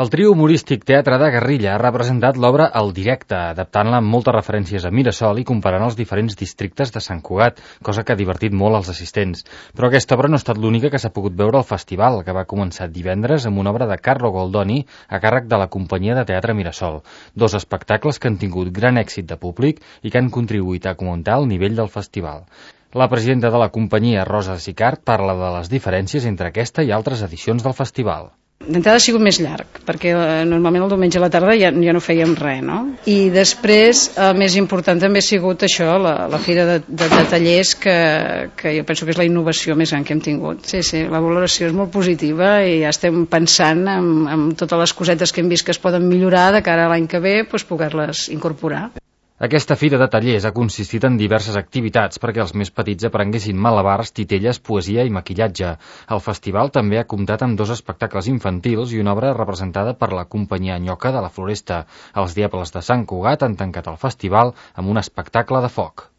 El trio humorístic Teatre de Guerrilla ha representat l'obra El Directe, adaptant-la amb moltes referències a Mirasol i comparant els diferents districtes de Sant Cugat, cosa que ha divertit molt els assistents. Però aquesta obra no ha estat l'única que s'ha pogut veure al festival, que va començar divendres amb una obra de Carlo Goldoni a càrrec de la companyia de teatre Mirasol. Dos espectacles que han tingut gran èxit de públic i que han contribuït a augmentar el nivell del festival. La presidenta de la companyia, Rosa Sicart, parla de les diferències entre aquesta i altres edicions del festival. D'entrada ha sigut més llarg, perquè normalment el diumenge a la tarda ja no fèiem res, no? I després, el més important també ha sigut això, la fira de tallers, que jo penso que és la innovació més gran que hem tingut. Sí, la valoració és molt positiva i ja estem pensant en totes les cosetes que hem vist que es poden millorar de cara a l'any que ve, doncs poder-les incorporar. Aquesta fira de tallers ha consistit en diverses activitats perquè els més petits aprenguessin malabars, titelles, poesia i maquillatge. El festival també ha comptat amb 2 espectacles infantils i una obra representada per la companyia Nyoca de la Floresta. Els Diables de Sant Cugat han tancat el festival amb un espectacle de foc.